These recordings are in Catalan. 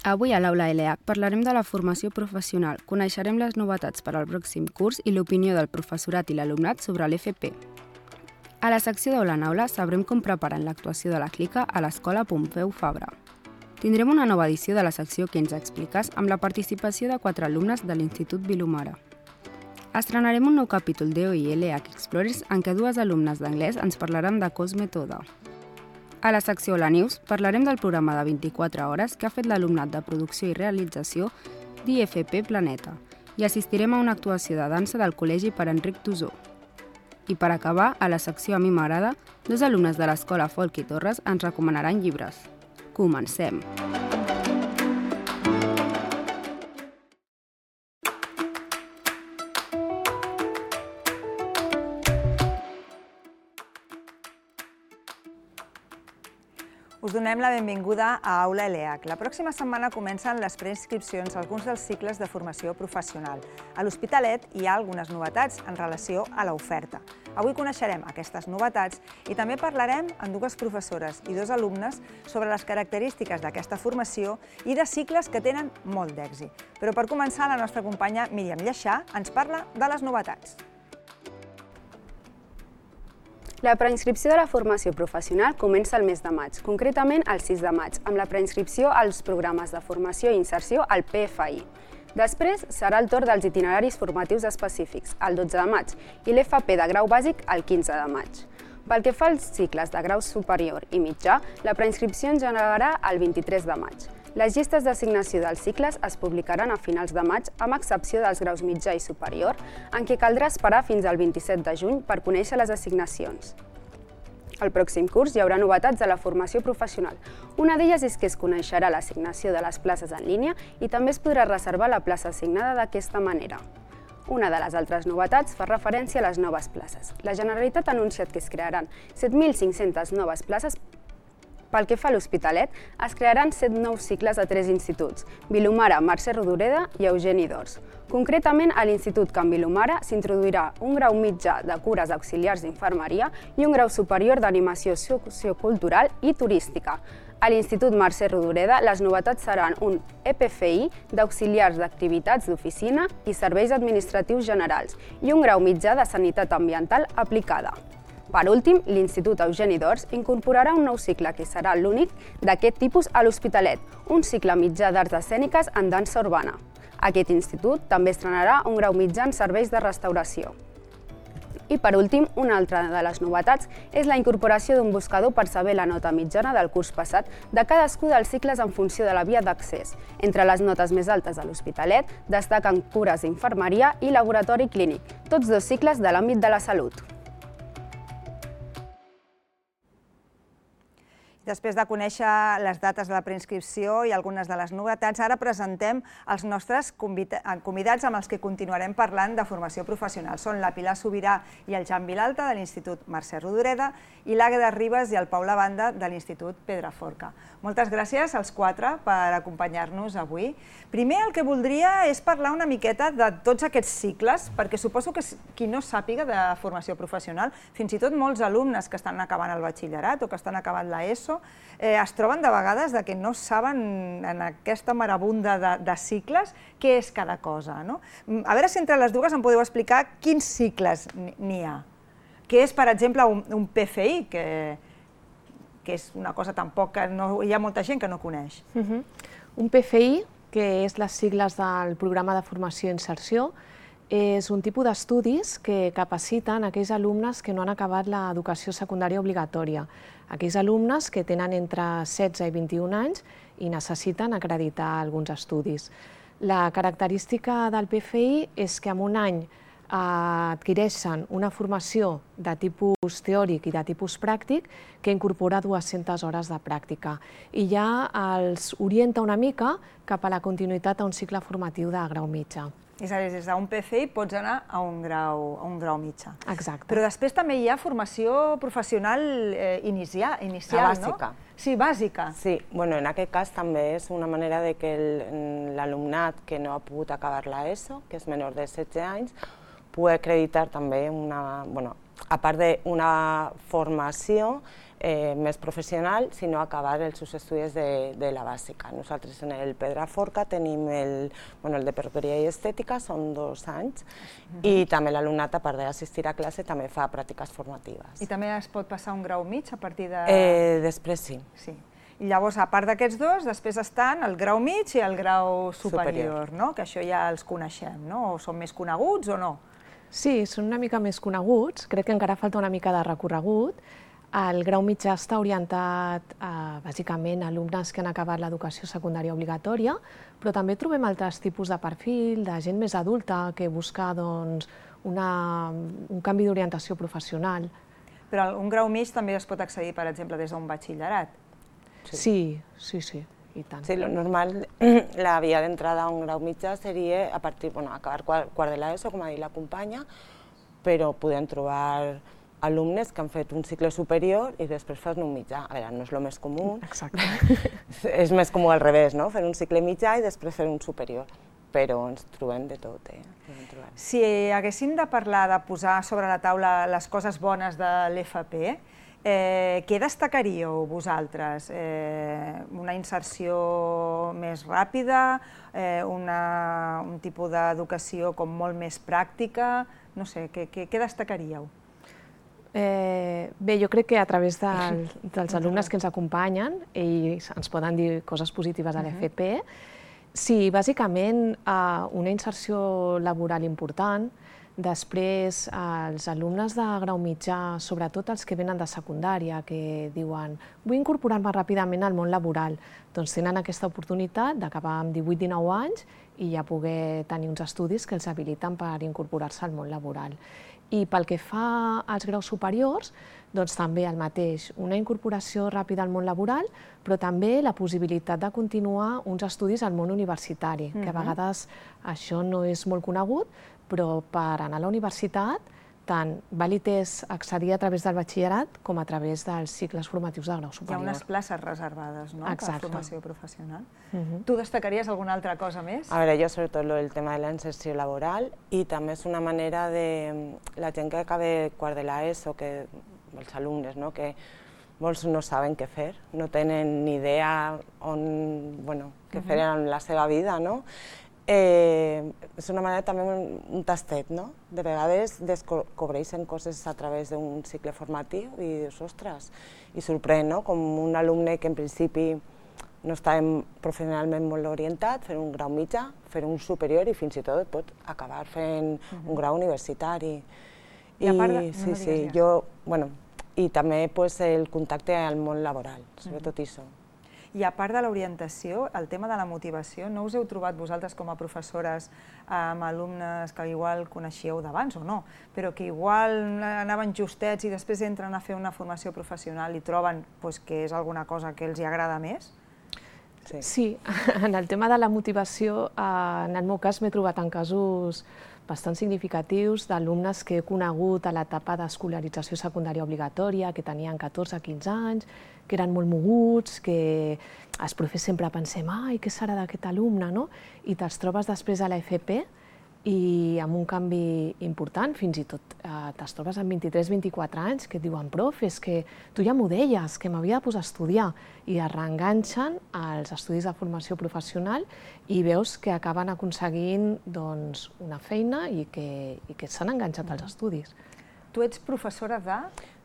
Avui a l'Aula ELEAC parlarem de la formació professional, coneixerem les novetats per al pròxim curs i l'opinió del professorat i l'alumnat sobre l'FP. A la secció d'Aula en Aula sabrem com preparen l'actuació de la Clica a l'Escola Pompeu Fabra. Tindrem una nova edició de la secció que ens expliques amb la participació de 4 alumnes de l'Institut Vilomara. Estrenarem un nou capítol d'EOI ELEAC Explorers en què 2 alumnes d'anglès ens parlaran de Cosme Toda. A la secció La News parlarem del programa de 24 hores que ha fet l'alumnat de producció i realització d'IFP Planeta i assistirem a una actuació de dansa del Col·legi per Enric Tusó. I per acabar, a la secció A mi m'agrada, 2 alumnes de l'Escola Folk i Torres ens recomanaran llibres. Comencem! Us donem la benvinguda a Aula ELEAC. La pròxima setmana comencen les preinscripcions a alguns dels cicles de formació professional. A l'Hospitalet hi ha algunes novetats en relació a l'oferta. Avui coneixerem aquestes novetats i també parlarem amb 2 professores i 2 alumnes sobre les característiques d'aquesta formació i de cicles que tenen molt d'èxit. Però per començar, la nostra companya Míriam Lleixà ens parla de les novetats. La preinscripció de la formació professional comença el mes de maig, concretament el 6 de maig, amb la preinscripció als programes de formació i inserció al PFI. Després serà el torn dels itineraris formatius específics, el 12 de maig, i l'FP de grau bàsic el 15 de maig. Pel que fa als cicles de grau superior i mitjà, la preinscripció engegarà el 23 de maig. Les llistes d'assignació dels cicles es publicaran a finals de maig, amb excepció dels graus mitjà i superior, en què caldrà esperar fins al 27 de juny per conèixer les assignacions. Al pròxim curs hi haurà novetats de la formació professional. Una d'elles és que es coneixerà l'assignació de les places en línia i també es podrà reservar la plaça assignada d'aquesta manera. Una de les altres novetats fa referència a les noves places. La Generalitat ha anunciat que es crearan 7.500 noves places. Pel que fa a l'Hospitalet, es crearan 7 nous cicles a 3 instituts, Vilomara, Mercè Rodoreda i Eugeni d'Ors. Concretament, a l'Institut Can Vilomara s'introduirà un grau mitjà de cures auxiliars d'infermeria i un grau superior d'animació sociocultural i turística. A l'Institut Mercè Rodoreda, les novetats seran un EPFI d'auxiliars d'activitats d'oficina i serveis administratius generals i un grau mitjà de sanitat ambiental aplicada. Per últim, l'Institut Eugeni d'Ors incorporarà un nou cicle que serà l'únic d'aquest tipus a l'Hospitalet, un cicle mitjà d'arts escèniques en dansa urbana. Aquest institut també estrenarà un grau mitjà en serveis de restauració. I per últim, una altra de les novetats és la incorporació d'un buscador per saber la nota mitjana del curs passat de cadascun dels cicles en funció de la via d'accés. Entre les notes més altes de l'Hospitalet destaquen cures d'infermeria i laboratori clínic, tots 2 cicles de l'àmbit de la salut. Després de conèixer les dates de la preinscripció i algunes de les novetats, ara presentem els nostres convidats amb els que continuarem parlant de formació professional. Són la Pilar Sobirà i el Jan Vilalta de l'Institut Mercè Rodoreda i l'Àgueda Ribas i el Pau Lavanda de l'Institut Pedraforca. Moltes gràcies als 4 per acompanyar-nos avui. Primer el que voldria és parlar una miqueta de tots aquests cicles, perquè suposo que qui no sàpiga de formació professional, fins i tot molts alumnes que estan acabant el batxillerat o que estan acabant l'ESO, es troben de vegades que no saben en aquesta marabunda de cicles què és cada cosa. A veure si entre les dues em podeu explicar quins cicles n'hi ha. Què és, per exemple, un PFI, que és una cosa tampoc que hi ha molta gent que no coneix. Un PFI, que és les sigles del Programa de Formació i Inserció, és un tipus d'estudis que capaciten aquells alumnes que no han acabat l'educació secundària obligatòria, aquells alumnes que tenen entre 16 i 21 anys i necessiten acreditar alguns estudis. La característica del PFI és que en un any adquireixen una formació de tipus teòric i de tipus pràctic que incorpora 200 hores de pràctica i ja els orienta una mica cap a la continuïtat a un cicle formatiu de grau mitjà. És a dir, des d'un PFI pots anar a un grau mitjà. Exacte. Però després també hi ha formació professional inicial, no? Bàsica. Sí, bàsica. Sí, en aquest cas també és una manera de que l'alumnat que no ha pogut acabar l'ESO, que és menor de 16 anys, pugui acreditar també a part d'una formació més professional, sinó acabar els seus estudis de la bàsica. Nosaltres en el Pedraforca tenim el de perruqueria i estètica, són 2 anys, i també l'alumnat, a part d'assistir a classe, també fa pràctiques formatives. I també es pot passar un grau mig a partir de... Després sí. I llavors, a part d'aquests 2, després estan el grau mig i el grau superior, no? Que això ja els coneixem, no? O són més coneguts o no? Sí, són una mica més coneguts, crec que encara falta una mica de recorregut. El grau mitjà està orientat bàsicament a alumnes que han acabat l'educació secundària obligatòria, però també trobem altres tipus de perfil, de gent més adulta que busca un canvi d'orientació professional. Però un grau mig també es pot accedir, per exemple, des d'un batxillerat? Sí, i tant. Sí, lo normal, la via d'entrada a un grau mitjà seria a partir, acabar quart de l'ESO, com ha dit la companya, però podem trobar alumnes que han fet un cicle superior i després fan un mitjà. A veure, no és el més comú. Exacte. És més comú al revés, no? Fer un cicle mitjà i després fer un superior. Però ens trobem de tot, Si haguéssim de parlar, de posar sobre la taula les coses bones de l'FP, què destacaríeu vosaltres? Una inserció més ràpida, un tipus d'educació com molt més pràctica? No sé, què destacaríeu? Bé, jo crec que a través dels alumnes que ens acompanyen, ells ens poden dir coses positives a l'FP. Sí, bàsicament una inserció laboral important. Després, els alumnes de grau mitjà, sobretot els que venen de secundària, que diuen vull incorporar-me ràpidament al món laboral, doncs tenen aquesta oportunitat d'acabar amb 18-19 anys i ja poder tenir uns estudis que els habiliten per incorporar-se al món laboral. I pel que fa als graus superiors, doncs també el mateix, una incorporació ràpida al món laboral, però també la possibilitat de continuar uns estudis al món universitari, que a vegades això no és molt conegut, però per anar a la universitat tant vàlid és accedir a través del batxillerat com a través dels cicles formatius de grau superior. Hi ha unes places reservades, no?, per formació professional. Mhm. Tu destacaries alguna altra cosa més? A veure, jo sobretot el tema de la inserció laboral, i també és una manera de... La gent que acaba quart de l'ESO, els alumnes, no?, que molts no saben què fer, no tenen ni idea què fer en la seva vida, no? És una manera també un tastet, no? De vegades descobreixen coses a través d'un cicle formatiu i dius, ostres, i sorprèn, no? Com un alumne que en principi no està professionalment molt orientat, fer un grau mitjà, fer un superior i fins i tot pot acabar fent un grau universitari. I també el contacte al món laboral, sobretot això. I a part de l'orientació, el tema de la motivació, no us heu trobat vosaltres com a professores amb alumnes que igual coneixíeu d'abans o no, però que igual anaven justets i després entren a fer una formació professional i troben que és alguna cosa que els agrada més? Sí, en el tema de la motivació, en el meu cas m'he trobat en casos bastant significatius d'alumnes que he conegut a l'etapa d'escolarització secundària obligatòria, que tenien 14-15 anys, que eren molt moguts, que els professors sempre pensem, ai, què serà d'aquest alumne, no? I te'ls trobes després a l'FP i amb un canvi important, fins i tot te'ls trobes amb 23-24 anys, que et diuen, prof, és que tu ja m'ho deies, que m'havia de posar a estudiar, i es reenganxen als estudis de formació professional i veus que acaben aconseguint una feina i que s'han enganxat als estudis. Tu ets professora de?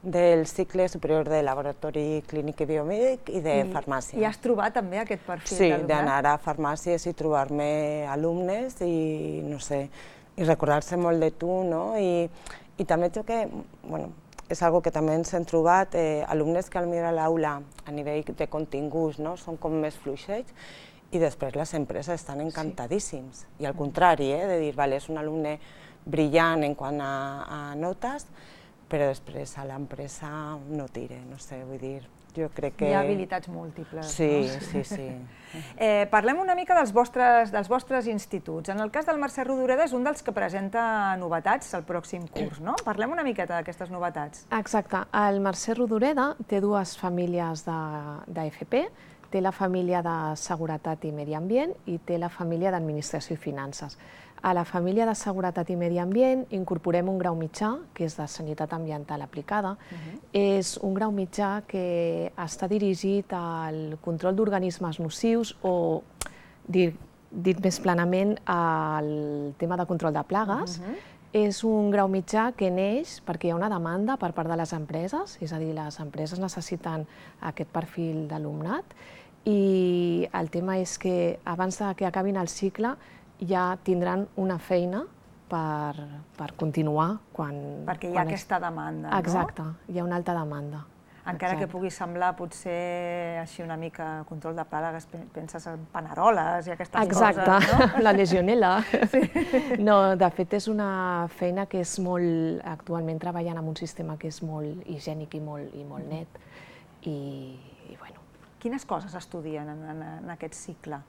Del cicle superior de laboratori clínic i biomèdic i de farmàcia. I has trobat també aquest perfil d'alumnat? Sí, d'anar a farmàcies i trobar-me alumnes i, no sé, i recordar-se molt de tu, no? I també crec que, és una cosa que també ens hem trobat, alumnes que potser a l'aula, a nivell de continguts, són com més fluixets, i després les empreses estan encantadíssims. I al contrari, de dir, és un alumne brillant en quant a notes, però després a l'empresa no tira, no sé, vull dir, jo crec que... Hi ha habilitats múltiples. Sí. Parlem una mica dels vostres instituts. En el cas del Mercè Rodoreda és un dels que presenta novetats al pròxim curs, no? Parlem una miqueta d'aquestes novetats. Exacte. El Mercè Rodoreda té dues famílies d'AFP. té la família de Seguretat i Medi Ambient i té la família d'Administració i Finances. A la família de Seguretat i Medi Ambient incorporem un grau mitjà, que és de Sanitat Ambiental Aplicada. És un grau mitjà que està dirigit al control d'organismes nocius o, dit més plenament, al tema de control de plagues. És un grau mitjà que neix perquè hi ha una demanda per part de les empreses, és a dir, les empreses necessiten aquest perfil d'alumnat i el tema és que abans que acabin el cicle ja tindran una feina per continuar quan... Perquè hi ha aquesta demanda, no? Exacte, hi ha una alta demanda. Encara que pugui semblar potser així una mica control de plagues, penses en paneroles i aquestes coses, no? Exacte, la legionel·la. No, de fet és una feina que és molt... Actualment treballant en un sistema que és molt higiènic i molt net. I bueno. Quines coses estudien en aquest cicle?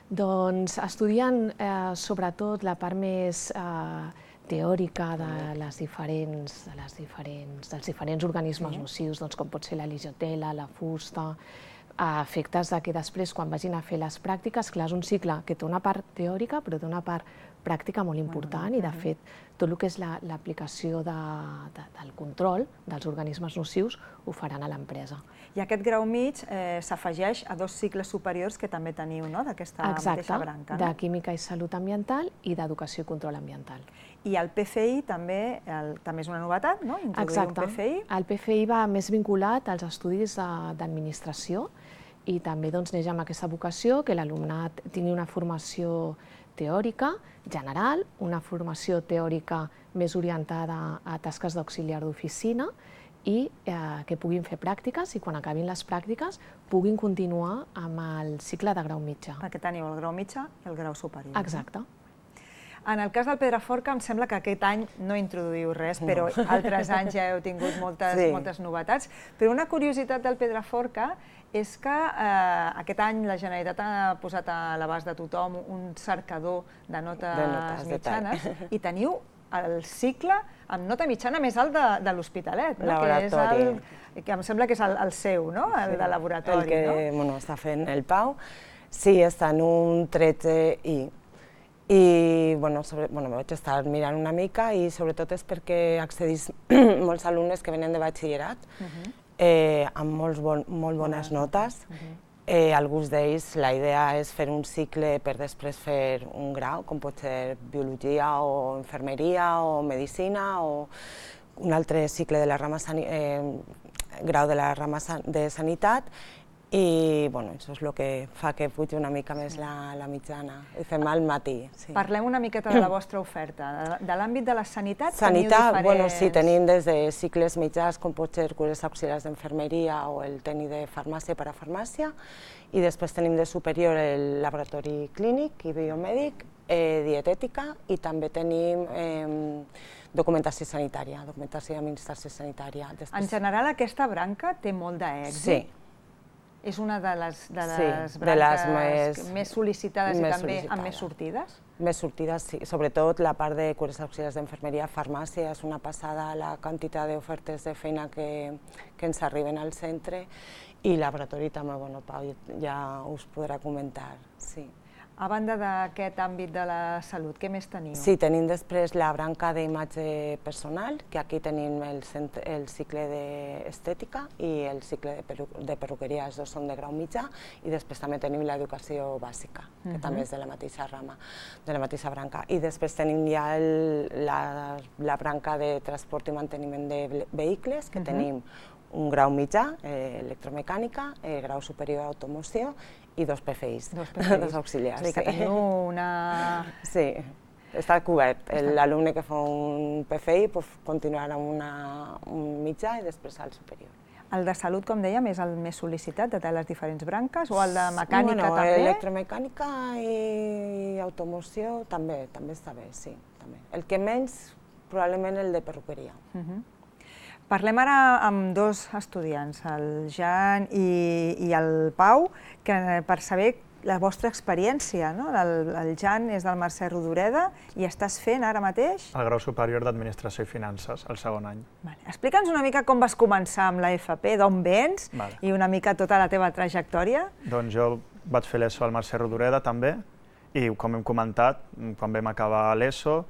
Doncs estudien sobretot la part més teòrica dels diferents organismes nocius, com pot ser la legionel·la, la fusta, a efectes que després, quan vagin a fer les pràctiques, clar, és un cicle que té una part teòrica, però té una part pràctica molt important i, de fet, tot el que és l'aplicació del control dels organismes nocius ho faran a l'empresa. I aquest grau mig s'afegeix a 2 cicles superiors que també teniu, no?, d'aquesta mateixa branca. Exacte, de Química i Salut Ambiental i d'Educació i Control Ambiental. I el PFI també és una novetat, no?, introduir un PFI. Exacte, el PFI va més vinculat als estudis d'administració i també neix amb aquesta vocació que l'alumnat tingui una formació teòrica general, una formació teòrica més orientada a tasques d'auxiliar d'oficina i que puguin fer pràctiques i quan acabin les pràctiques puguin continuar amb el cicle de grau mitjà. Perquè teniu el grau mitjà i el grau superior. Exacte. En el cas del Pedraforca em sembla que aquest any no introduïu res, però altres anys ja heu tingut moltes novetats. Però una curiositat del Pedraforca és que aquest any la Generalitat ha posat a l'abast de tothom un cercador de notes mitjanes i teniu el cicle amb nota mitjana més alt de l'Hospitalet, que em sembla que és el seu, el de laboratori. El que està fent el Pau. Sí, està en un 13I. I vaig estar mirant una mica i sobretot és perquè accedís molts alumnes que venen de batxillerat amb molt bones notes. Alguns d'ells la idea és fer un cicle per després fer un grau, com pot ser biologia o infermeria o medicina o un altre cicle de la rama grau de la rama de sanitat. I això és el que fa que pugi una mica més la mitjana. Ho fem al matí. Parlem una miqueta de la vostra oferta. De l'àmbit de la sanitat teniu diferents... Sí, tenim des de cicles mitjans, com pot ser cures auxiliars d'enfermeria o el tècnic de farmàcia per a farmàcia, i després tenim de superior el laboratori clínic i biomèdic, dietètica, i també tenim documentació sanitària, documentació d'administració sanitària. En general, aquesta branca té molt d'èxit. Sí. És una de les branques més sol·licitades i també amb més sortides? Més sortides, sí. Sobretot la part de cures auxiliars d'enfermeria, farmàcia, és una passada la quantitat d'ofertes de feina que ens arriben al centre, i laboratori també, Pau ja us podrà comentar. A banda d'aquest àmbit de la salut, què més teniu? Sí, tenim després la branca d'imatge personal, que aquí tenim el cicle d'estètica i el cicle de perruqueria, els dos són de grau mitjà, i després també tenim l'educació bàsica, que també és de la mateixa rama, de la mateixa branca. I després tenim ja la branca de transport i manteniment de vehicles, que tenim un grau mitjà, electromecànica, grau superior automoció, i 2 PFIs, 2 auxiliars. És a dir, que teniu una... Sí, està cobert. L'alumne que fa un PFI continuarà amb un mitjà i després al superior. El de salut, com dèiem, és el més sol·licitat de les diferents branques, o el de mecànica també? Electromecànica i automoció també està bé, sí. El que menys, probablement el de perruqueria. Parlem ara amb 2 estudiants, el Jan i el Pau, per saber la vostra experiència, no? El Jan és del Mercè Rodoreda i estàs fent ara mateix? El grau superior d'Administració i Finances, el segon any. Explica'ns una mica com vas començar amb la FP, d'on vens i una mica tota la teva trajectòria. Doncs jo vaig fer l'ESO al Mercè Rodoreda també i, com hem comentat, quan vam acabar l'ESO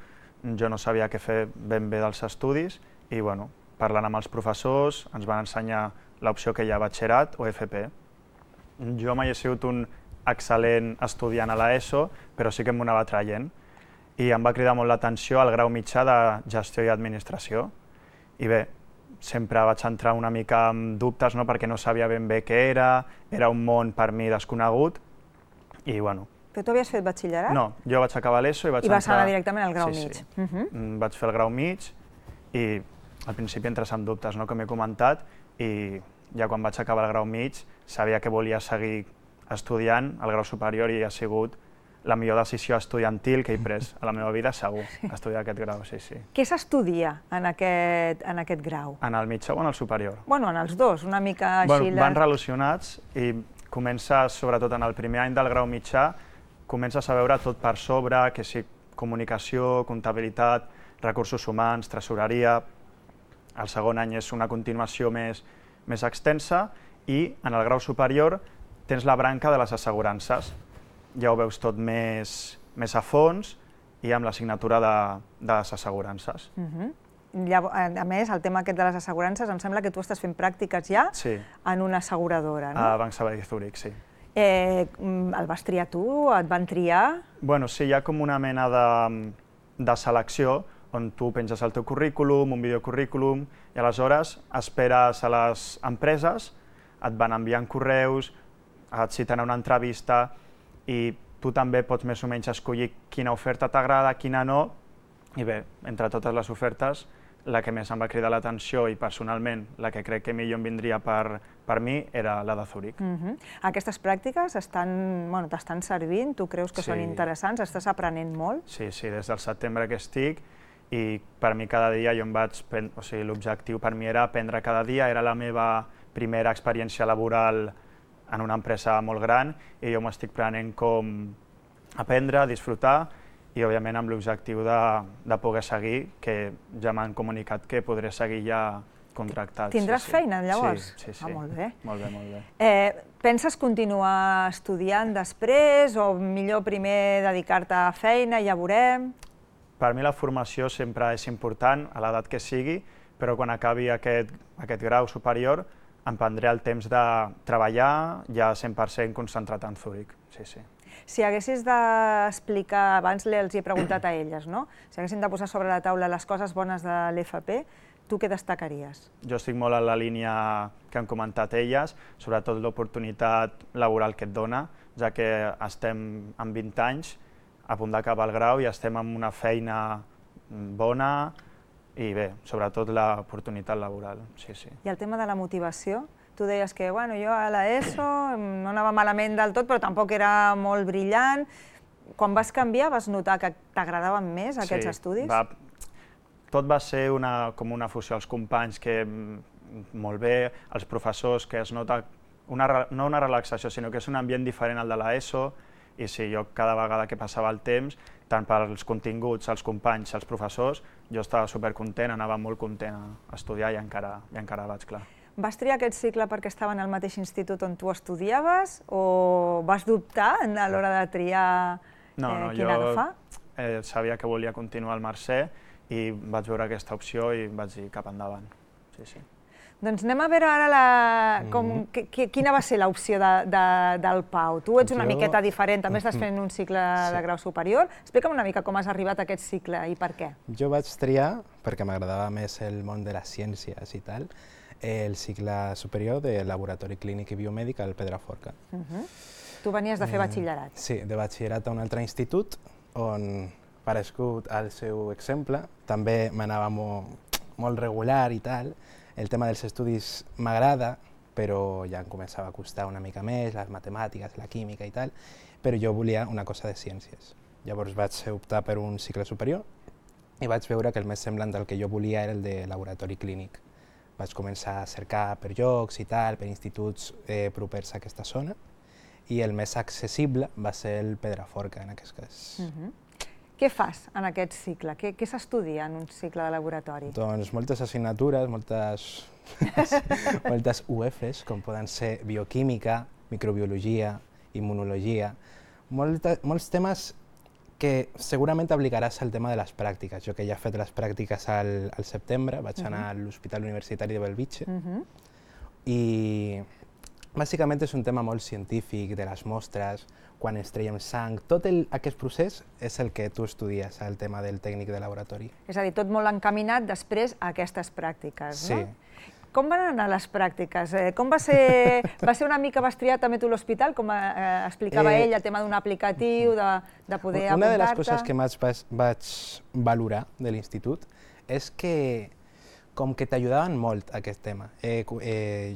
jo no sabia què fer ben bé dels estudis i, bueno, parlant amb els professors ens van ensenyar l'opció que hi ha batxillerat o FP. Jo mai he sigut un excel·lent estudiant a l'ESO, però sí que m'ho anava traient. I em va cridar molt l'atenció el grau mitjà de Gestió i Administració. I bé, sempre vaig entrar una mica amb dubtes, no? Perquè no sabia ben bé què era un món per mi desconegut. I bueno... Però tu havies fet batxillerat? No, jo vaig acabar l'ESO i vaig entrar... I vas anar directament al grau mig. Vaig fer el grau mig i al principi entres amb dubtes, no? Com he comentat, i ja quan vaig acabar el grau mig sabia que volia seguir estudiant el grau superior i ha sigut la millor decisió estudiantil que he pres a la meva vida, segur, estudiar aquest grau, sí. Què s'estudia en aquest grau? En el mitjà o en el superior? Bueno, en els dos, una mica així... Van relacionats i comences, sobretot en el primer any del grau mitjà, comences a veure tot per sobre, que sí, comunicació, comptabilitat, recursos humans, tresoreria. El segon any és una continuació més extensa i en el grau superior tens la branca de les assegurances. Ja ho veus tot més a fons i amb l'assignatura de les assegurances. A més, el tema aquest de les assegurances, em sembla que tu estàs fent pràctiques ja en una asseguradora, no? A Banc Sabadell Zurich, sí. El vas triar tu? Et van triar? Bueno, sí, hi ha com una mena de selecció on tu penges el teu currículum, un videocurrículum, i aleshores esperes a les empreses, et van enviant correus, et citen a una entrevista i tu també pots més o menys escollir quina oferta t'agrada, quina no, i bé, entre totes les ofertes, la que més em va cridar l'atenció i personalment la que crec que millor em vindria per mi era la de Zurich. Aquestes pràctiques t'estan servint? Tu creus que són interessants? Estàs aprenent molt? Sí, des del setembre que estic i per mi cada dia l'objectiu per mi era aprendre cada dia, era la meva primera experiència laboral en una empresa molt gran i jo m'estic prenent com aprendre, disfrutar i òbviament amb l'objectiu de poder seguir, que ja m'han comunicat que podré seguir ja contractat. Tindràs feina llavors? Sí. Molt bé. Molt bé. Penses continuar estudiant després o millor primer dedicar-te a feina, ja veurem? Per mi la formació sempre és important, a l'edat que sigui, però quan acabi aquest grau superior em prendré el temps de treballar ja 100% concentrat en Zurich. Sí. Si haguessis d'explicar, abans els he preguntat a elles, no? Si haguessin de posar sobre la taula les coses bones de l'FP, tu què destacaries? Jo estic molt en la línia que han comentat elles, sobretot l'oportunitat laboral que et dona, ja que estem amb 20 anys, a punt d'acabar el grau i estem en una feina bona i bé, sobretot l'oportunitat laboral, sí. I el tema de la motivació? Tu deies que jo a l'ESO no anava malament del tot, però tampoc era molt brillant. Quan vas canviar, vas notar que t'agradaven més aquests estudis? Tot va ser com una fusió. Els companys que molt bé, els professors que es nota, no una relaxació, sinó que és un ambient diferent al de l'ESO, i sí, jo cada vegada que passava el temps, tant pels continguts, els companys, els professors, jo estava supercontent, anava molt content a estudiar i encara vaig, clar. Vas triar aquest cicle perquè estaven al mateix institut on tu estudiaves o vas dubtar a l'hora de triar quin agafar? No, jo sabia que volia continuar al Mercè i vaig veure aquesta opció i vaig dir cap endavant. Sí. Doncs anem a veure ara quina va ser l'opció del Pau. Tu ets una miqueta diferent, també estàs fent un cicle de grau superior. Explica'm una mica com has arribat a aquest cicle i per què. Jo vaig triar, perquè m'agradava més el món de les ciències i tal, el cicle superior de Laboratori Clínic i Biomèdic al Pedraforca. Tu venies de fer batxillerat. Sí, de batxillerat a un altre institut, on, parescut al seu exemple, també m'anava molt regular i tal. El tema dels estudis m'agrada, però ja em començava a costar una mica més, les matemàtiques, la química i tal, però jo volia una cosa de ciències. Llavors vaig optar per un cicle superior i vaig veure que el més semblant del que jo volia era el de laboratori clínic. Vaig començar a cercar per llocs i tal, per instituts propers a aquesta zona, i el més accessible va ser el Pedraforca, en aquest cas. Què fas en aquest cicle? Què s'estudia en un cicle de laboratori? Doncs moltes assignatures, moltes UFs, com poden ser bioquímica, microbiologia, immunologia, molts temes que segurament aplicaràs al tema de les pràctiques. Jo que ja he fet les pràctiques al setembre, vaig anar a l'Hospital Universitari de Bellvitge i bàsicament és un tema molt científic, de les mostres, quan ens traiem sang, tot aquest procés és el que tu estudies, el tema del tècnic de laboratori. És a dir, tot molt encaminat després a aquestes pràctiques, no? Sí. Com van anar les pràctiques? Com va ser una mica, vas triar també tu l'hospital, com explicava ell, el tema d'un aplicatiu, de poder apuntar-te? Una de les coses que més vaig valorar de l'institut és que com que t'ajudaven molt aquest tema.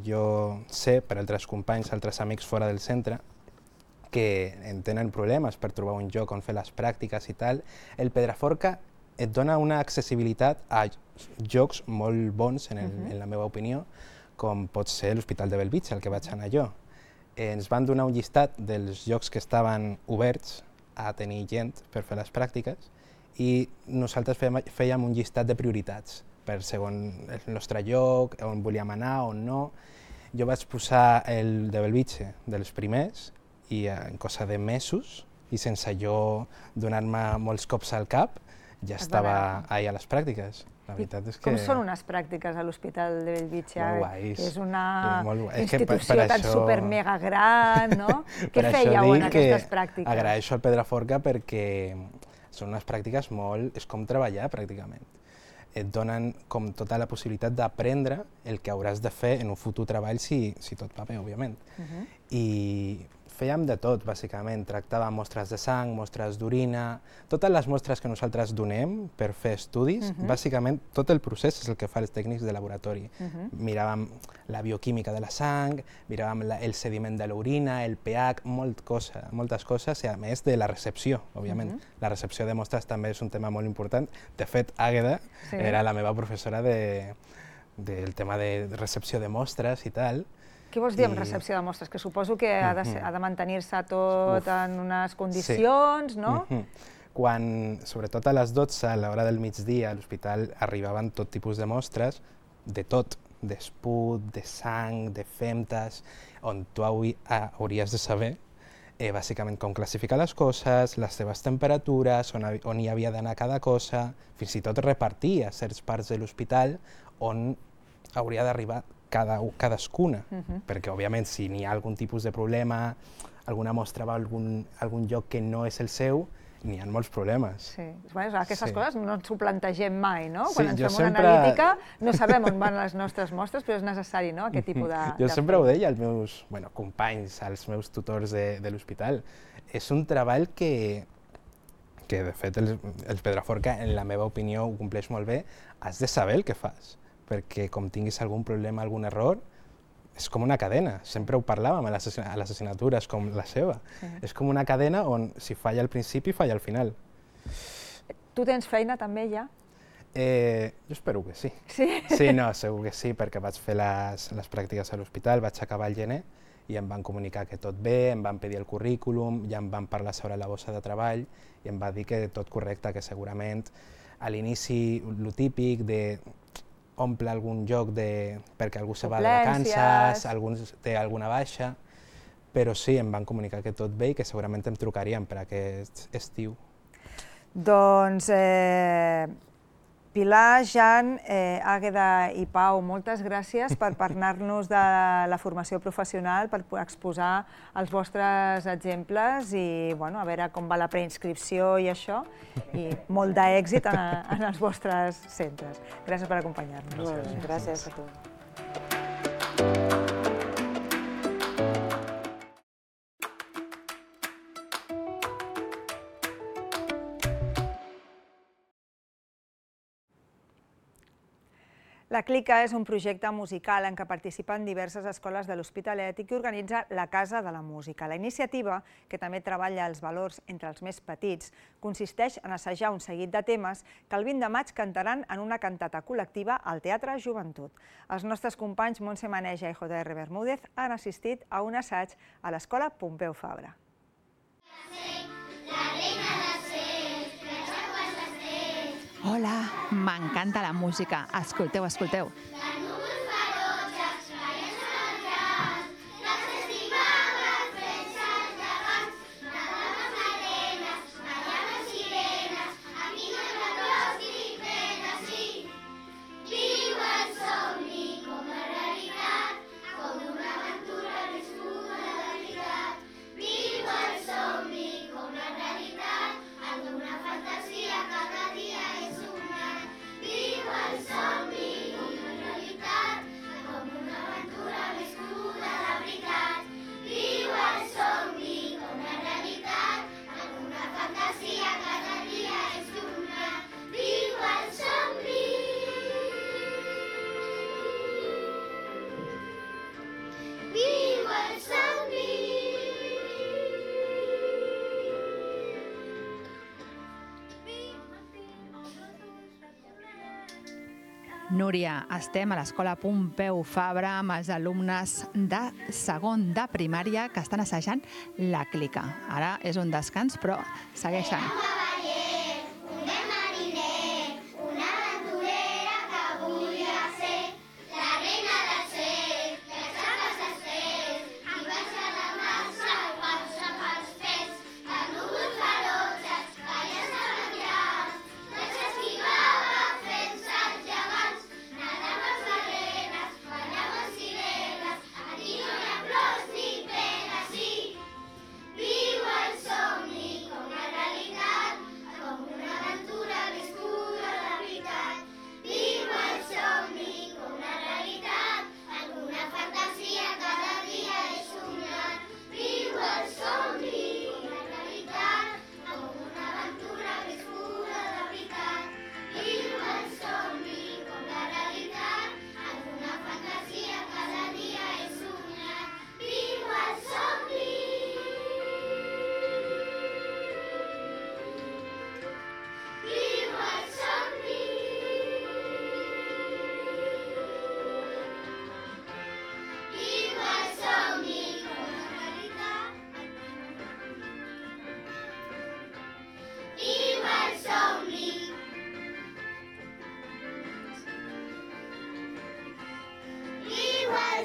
Jo sé, per altres companys, altres amics fora del centre, que en tenen problemes per trobar un lloc on fer les pràctiques i tal, el Pedraforca et dona una accessibilitat a llocs molt bons, en la meva opinió, com pot ser l'Hospital de Bellvitge, al que vaig anar jo. Ens van donar un llistat dels llocs que estaven oberts a tenir gent per fer les pràctiques i nosaltres fèiem un llistat de prioritats per segons el nostre lloc, on volíem anar, on no. Jo vaig posar el de Bellvitge dels primers i en cosa de mesos i sense jo donar-me molts cops al cap ja estava allà a les pràctiques. La veritat és que... Com són unes pràctiques a l'Hospital de Bellvitge? Molt guais. És una és institució tan super mega gran, no? Què fèieu en aquestes pràctiques? Agraeixo al Pedraforca perquè són unes pràctiques molt... és com treballar, pràcticament. Et donen com tota la possibilitat d'aprendre el que hauràs de fer en un futur treball si tot va bé, òbviament. I fèiem de tot, bàsicament. Tractàvem mostres de sang, mostres d'orina, totes les mostres que nosaltres donem per fer estudis, bàsicament tot el procés és el que fa els tècnics de laboratori. Miràvem la bioquímica de la sang, miràvem el sediment de l'orina, el pH, moltes coses, i a més de la recepció, òbviament. La recepció de mostres també és un tema molt important. De fet, Àgueda era la meva professora del tema de recepció de mostres i tal. Què vols dir amb recepció de mostres? Que suposo que ha de mantenir-se tot en unes condicions, no? Quan, sobretot a les 12, a l'hora del migdia, a l'hospital arribaven tot tipus de mostres, de tot, d'esput, de sang, de femtes, on tu hauries de saber bàsicament com classificar les coses, les seves temperatures, on hi havia d'anar cada cosa, fins i tot repartir a certs parts de l'hospital on hauria d'arribar cadascuna, perquè òbviament si n'hi ha algun tipus de problema, alguna mostra va a algun lloc que no és el seu, n'hi ha molts problemes. Sí, aquestes coses no ens ho plantegem mai, no? Quan ens fem una analítica no sabem on van les nostres mostres, però és necessari, no?, aquest tipus de... Jo sempre ho deia als meus companys, als meus tutors de l'hospital. És un treball que de fet el Pedraforca, en la meva opinió, ho compleix molt bé. Has de saber el que fas, perquè com tinguis algun problema, algun error, és com una cadena. Sempre ho parlàvem a les assignatures, com la seva. És com una cadena on si falla al principi, falla al final. Tu tens feina també ja? Jo espero que sí. Sí? Sí, no, segur que sí, perquè vaig fer les pràctiques a l'hospital, vaig acabar al gener i em van comunicar que tot bé, em van pedir el currículum, ja em van parlar sobre la bossa de treball i em va dir que tot correcte, que segurament a l'inici el típic de omple algun lloc perquè algú se va de vacances, algú té alguna baixa, però sí, em van comunicar que tot bé i que segurament em trucarien per aquest estiu. Doncs Pilar, Jan, Àgueda i Pau, moltes gràcies per parlar-nos de la formació professional, per exposar els vostres exemples i a veure com va la preinscripció i això, i molt d'èxit en els vostres centres. Gràcies per acompanyar-nos. Gràcies a tu. La Clica és un projecte musical en què participen diverses escoles de l'Hospitalet i que organitza la Casa de la Música. La iniciativa, que també treballa els valors entre els més petits, consisteix en assajar un seguit de temes que el 20 de maig cantaran en una cantata col·lectiva al Teatre Joventut. Els nostres companys Montse Maneja i J.R. Bermúdez han assistit a un assaig a l'Escola Pompeu Fabra. Hola, m'encanta la música. Escolteu, escolteu. Núria, estem a l'Escola Pompeu Fabra amb els alumnes de segon de primària que estan assajant la Clica. Ara és un descans, però segueixen.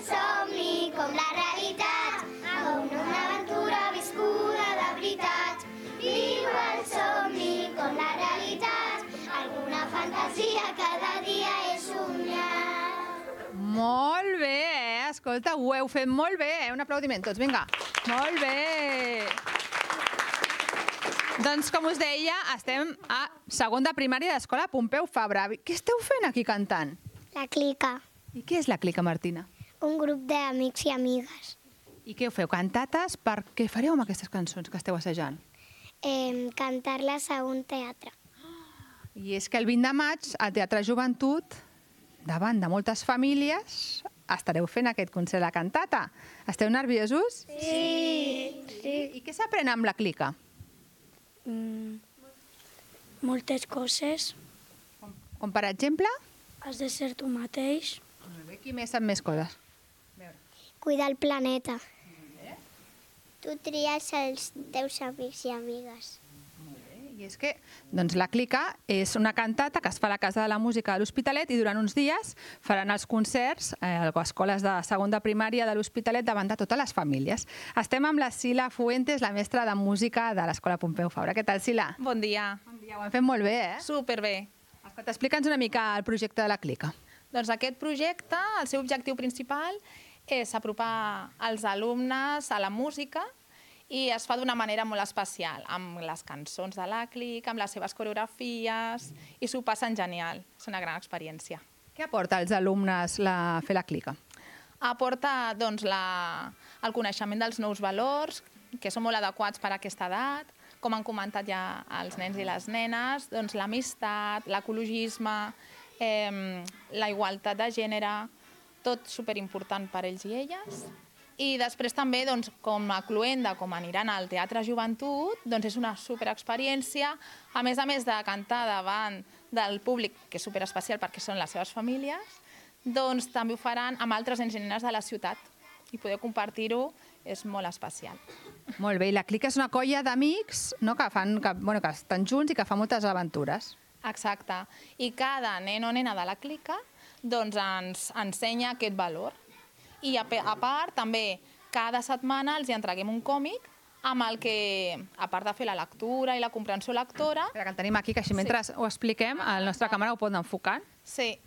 Som-hi com la realitat, com una aventura viscuda de veritat. Viu el somni com la realitat, alguna fantasia cada dia és somiar. Molt bé, escolta, ho heu fet molt bé, Un aplaudiment tots, vinga. Molt bé. Doncs, com us deia, estem a segon de primària de l'Escola Pompeu Fabra. Què esteu fent aquí cantant? La Clica, I què és la Clica, Martina? un grup d'amics i amigues. I què ho feu? Cantates? Per què fareu amb aquestes cançons que esteu assajant? Cantar-les a un teatre. I és que el 20 de maig, al Teatre Joventut, davant de moltes famílies, estareu fent aquest concert de cantata. Esteu nerviosos? Sí. I què s'aprèn amb la Clica? Moltes coses. Com per exemple? Has de ser tu mateix. Molt bé, qui més sap més coses? Cuidar el planeta. Tu tries els teus amics i amigues. I és que doncs, la Clica és una cantata que es fa a la Casa de la Música de l'Hospitalet i durant uns dies faran els concerts a les escoles de segon de primària de l'Hospitalet davant de totes les famílies. Estem amb la Sila Fuentes, la mestra de música de l'Escola Pompeu Fabra. Què tal, Sila? Bon dia. Bon dia, ho hem fet molt bé, eh? Superbé. Escolta, explica'ns una mica el projecte de la Clica. Doncs aquest projecte, el seu objectiu principal és apropar els alumnes a la música i es fa d'una manera molt especial, amb les cançons de la Clica, amb les seves coreografies, i s'ho passen genial. És una gran experiència. Què aporta als alumnes fer la Clica? Aporta doncs, el coneixement dels nous valors, que són molt adequats per a aquesta edat, com han comentat ja els nens i les nenes, doncs, l'amistat, l'ecologisme, la igualtat de gènere, tot superimportant per ells i elles. I després també, com a cluenda, com aniran al Teatre Joventut, és una superexperiència. A més de cantar davant del públic, que és superespecial perquè són les seves famílies, també ho faran amb altres nens i nenes de la ciutat. I poder compartir-ho és molt especial. Molt bé, i la Clica és una colla d'amics que estan junts i que fan moltes aventures. Exacte. I cada nen o nena de la Clica ens ensenya aquest valor. I a part, també, cada setmana els entreguem un còmic amb el que, a part de fer la lectura i la comprensió lectora... Que el tenim aquí, que així mentre ho expliquem, el nostre càmera ho pot enfocar. Sí.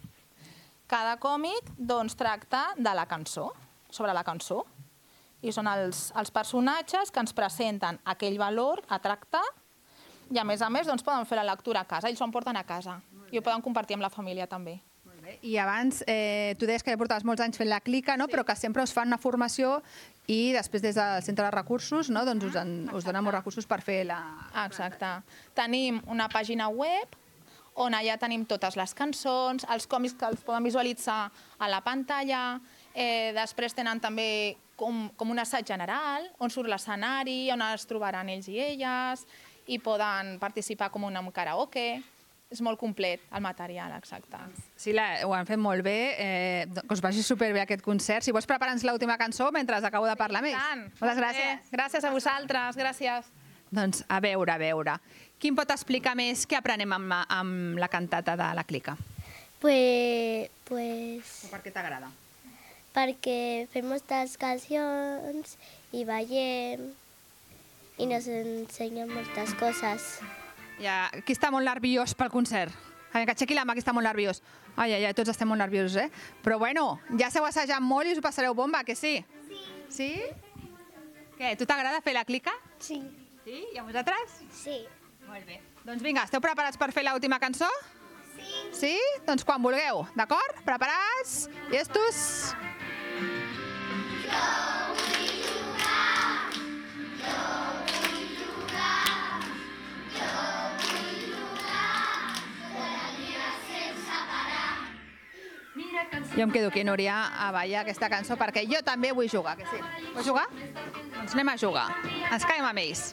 Cada còmic tracta de la cançó, sobre la cançó. I són els personatges que ens presenten aquell valor a tractar i, a més, poden fer la lectura a casa. Ells s'ho emporten a casa i ho poden compartir amb la família també. I abans, tu deies que ja portaves molts anys fent la Clica, però que sempre us fan una formació i després des del Centre de Recursos us donen molts recursos per fer la... Exacte. Tenim una pàgina web on allà tenim totes les cançons, els còmics que els poden visualitzar a la pantalla, després tenen també com un assaig general, on surt l'escenari, on es trobaran ells i elles, i poden participar com un karaoke. És molt complet, el material, exacte. Sí, ho han fet molt bé, que us vagi superbé aquest concert. Si vols preparar-nos l'última cançó mentre acabo de parlar més. Moltes gràcies. Gràcies a vosaltres, gràcies. Doncs a veure. Qui em pot explicar més què aprenem amb la cantata de la Clica? Pues... Per què t'agrada? Perquè fem moltes cancions i ballem i nos ensenyen moltes coses. Qui està molt nerviós pel concert? Que aixequi la mà, qui està molt nerviós. Ai, tots estem molt nerviosos, eh? Però bueno, ja s'heu assajat molt i us ho passareu bomba, que sí? Sí. Sí? Què, tu t'agrada fer la Clica? Sí. Sí? I a vosaltres? Sí. Molt bé. Doncs vinga, esteu preparats per fer l'última cançó? Sí. Sí? Doncs quan vulgueu, d'acord? Preparats? Llestos? Jo em quedo aquí, Núria, a ballar aquesta cançó perquè jo també vull jugar, que sí? Vull jugar? Doncs anem a jugar. Ens quedem amb ells.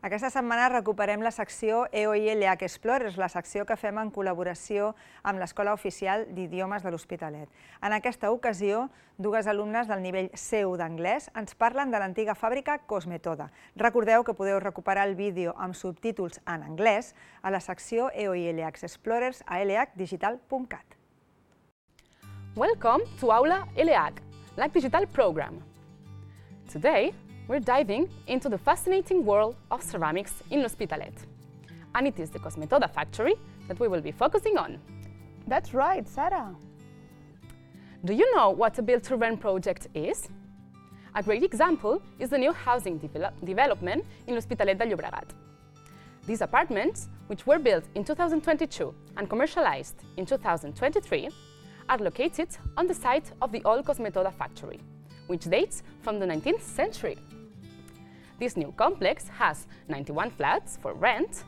Aquesta setmana recuperem la secció EOI-LH Explorers, la secció que fem en col·laboració amb l'Escola Oficial d'Idiomes de l'Hospitalet. En aquesta ocasió, dues alumnes del nivell C1 d'anglès ens parlen de l'antiga fàbrica Cosmetoda. Recordeu que podeu recuperar el vídeo amb subtítols en anglès a la secció EOI-LH Explorers a lhdigital.cat. Welcome to Aula LH, LH Digital program. Today, we're diving into the fascinating world of ceramics in L'Hospitalet. And it is the Cosmetoda factory that we will be focusing on. That's right, Sarah. Do you know what a build-to-rent project is? A great example is the new housing development in L'Hospitalet de Llobregat. These apartments, which were built in 2022 and commercialized in 2023, are located on the site of the old Cosmetoda factory, which dates from the 19th century. This new complex has 91 flats for rent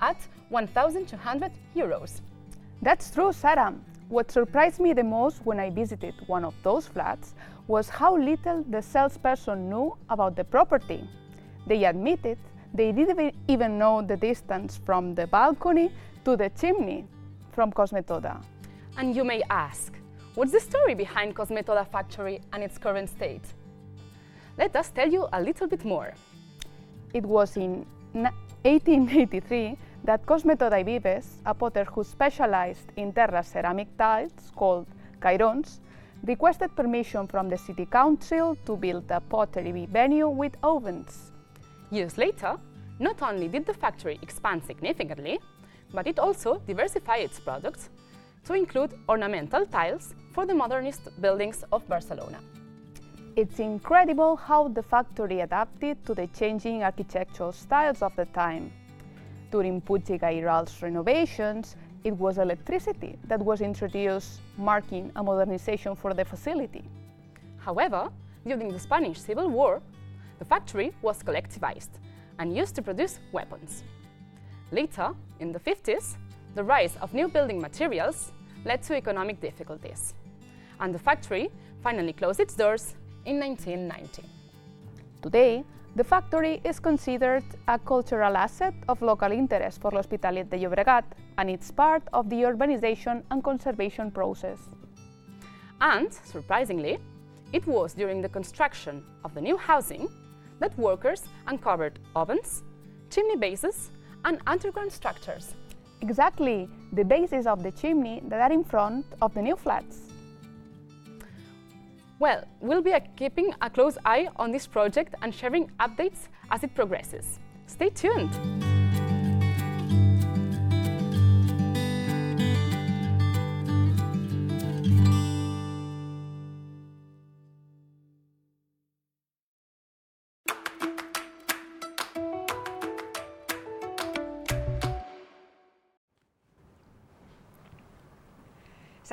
at 1,200 euros. That's true, Sarah. What surprised me the most when I visited one of those flats was how little the salesperson knew about the property. They admitted They didn't even know the distance from the balcony to the chimney from Cosmetoda. And you may ask, what's the story behind Cosmetoda factory and its current state? Let us tell you a little bit more. It was in 1883 that Cosmetoda Vives, a potter who specialized in terra ceramic tiles called cairons, requested permission from the city council to build a pottery venue with ovens. Years later, not only did the factory expand significantly, but it also diversified its products to include ornamental tiles for the modernist buildings of Barcelona. It's incredible how the factory adapted to the changing architectural styles of the time. During Puig i Gairal's renovations, it was electricity that was introduced, marking a modernization for the facility. However, during the Spanish Civil War, the factory was collectivized and used to produce weapons. Later, in the 50s, the rise of new building materials led to economic difficulties, and the factory finally closed its doors in 1990. Today, the factory is considered a cultural asset of local interest for l'Hospitalet de Llobregat, and it's part of the urbanization and conservation process. And, surprisingly, it was during the construction of the new housing that workers uncovered ovens, chimney bases, and underground structures. Exactly, the bases of the chimney that are in front of the new flats. Well, we'll be keeping a close eye on this project and sharing updates as it progresses. Stay tuned!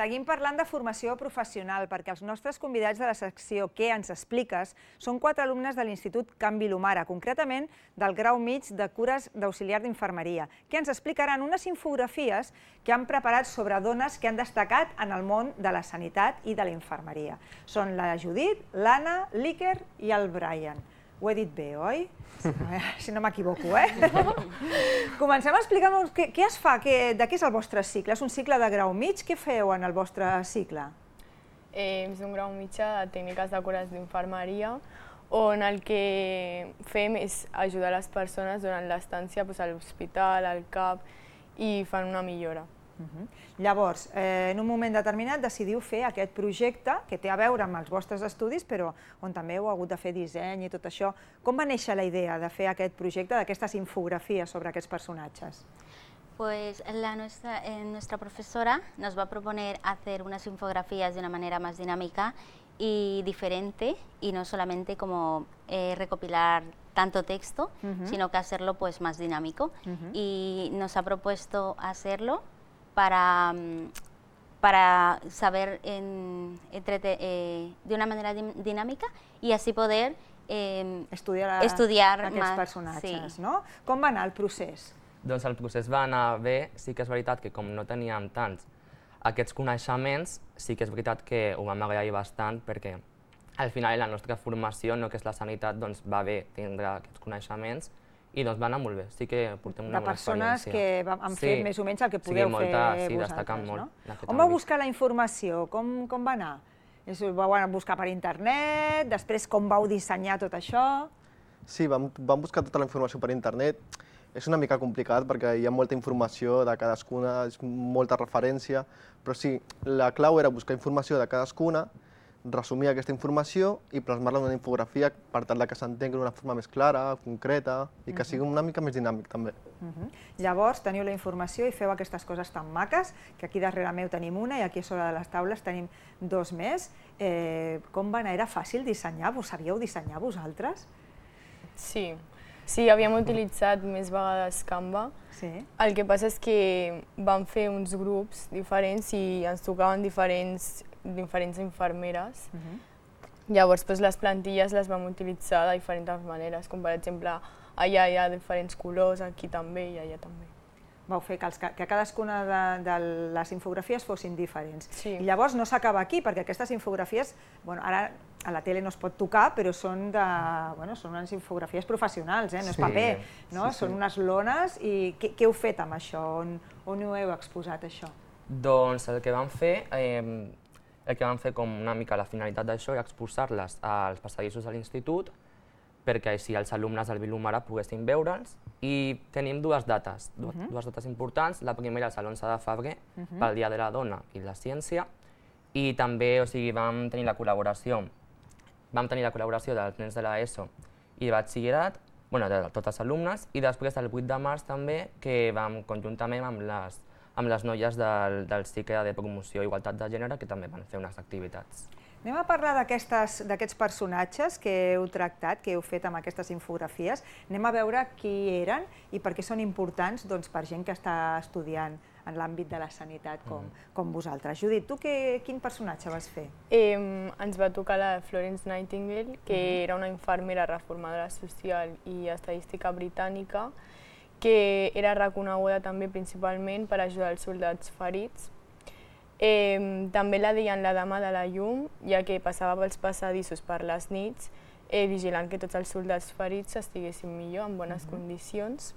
Seguim parlant de formació professional perquè els nostres convidats de la secció Què ens expliques són 4 alumnes de l'Institut Can Vilomara, concretament del grau mig de cures d'auxiliar d'infermeria, que ens explicaran unes infografies que han preparat sobre dones que han destacat en el món de la sanitat i de la infermeria. Són la Judit, l'Anna, l'Iker i el Brian. Ho he dit bé, oi? Si no m'equivoco, Comencem a explicar-nos què es fa, de què és el vostre cicle. És un cicle de grau mig? Què feu en el vostre cicle? És un grau mitjà de tècniques de cures d'infermeria, on el que fem és ajudar les persones durant l'estància a l'hospital, al CAP, i fan una millora. Llavors, en un moment determinat decidiu fer aquest projecte que té a veure amb els vostres estudis, però on també heu hagut de fer disseny i tot això. Com va néixer la idea de fer aquest projecte, d'aquestes infografies sobre aquests personatges? Pues nuestra profesora nos va a proponer hacer unas infografías de una manera más dinámica y diferente, y no solamente como recopilar tanto texto, sino que hacerlo pues más dinámico. Y nos ha propuesto hacerlo para saber de una manera dinámica y así poder estudiar aquests personatges. Com va anar el procés? Doncs el procés va anar bé. Sí que és veritat que com no teníem tants aquests coneixements, sí que és veritat que ho vam agrair bastant, perquè al final en la nostra formació, no que és la sanitat, doncs va bé tindre aquests coneixements i doncs va anar molt bé. Sí que portem una bona experiència. De persones que han fet més o menys el que podeu fer vosaltres. Sí, destacant molt. On vau buscar la informació? Com va anar? Vau buscar per internet? Després com vau dissenyar tot això? Sí, vam buscar tota la informació per internet. És una mica complicat perquè hi ha molta informació de cadascuna, és molta referència, però sí, la clau era buscar informació de cadascuna, resumir aquesta informació i plasmar-la en una infografia per tal que s'entengui d'una forma més clara, concreta i que sigui una mica més dinàmic també. Llavors teniu la informació i feu aquestes coses tan maques, que aquí darrere meu tenim una i aquí a sobre de les taules tenim 2 més. Com va anar? Era fàcil dissenyar? Vos sabíeu dissenyar vosaltres? Sí. Sí, havíem utilitzat més vegades Canva. El que passa és que vam fer uns grups diferents i ens tocaven diferents infermeres. Llavors les plantilles les vam utilitzar de diferents maneres, com per exemple allà hi ha diferents colors, aquí també i allà també. vau fer que cadascuna de les infografies fossin diferents. I llavors no s'acaba aquí, perquè aquestes infografies, ara a la tele no es pot tocar, però són unes infografies professionals, no és paper, són unes lones. I què heu fet amb això? On ho heu exposat, això? Doncs el que vam fer com una mica la finalitat d'això era exposar-les als passadissos de l'institut perquè així els alumnes del Vilomara poguessin veure'ls, i tenim dues dates importants. La primera és l'11 de febrer, pel Dia de la Dona i la Ciència, i també vam tenir la col·laboració dels nens de l'ESO i de batxillerat, de tots els alumnes, i després el 8 de març també, que vam conjuntament amb les noies del cicle de promoció i igualtat de gènere, que també van fer unes activitats. Anem a parlar d'aquests personatges que heu tractat, que heu fet amb aquestes infografies. Anem a veure qui eren i per què són importants per gent que està estudiant en l'àmbit de la sanitat com vosaltres. Judit, tu quin personatge vas fer? Ens va tocar la Florence Nightingale, que era una infermera reformadora social i estadística britànica, que era reconeguda també principalment per ajudar els soldats ferits. També la deien la dama de la llum, ja que passava pels passadissos per les nits, vigilant que tots els soldats ferits estiguessin millor, en bones condicions.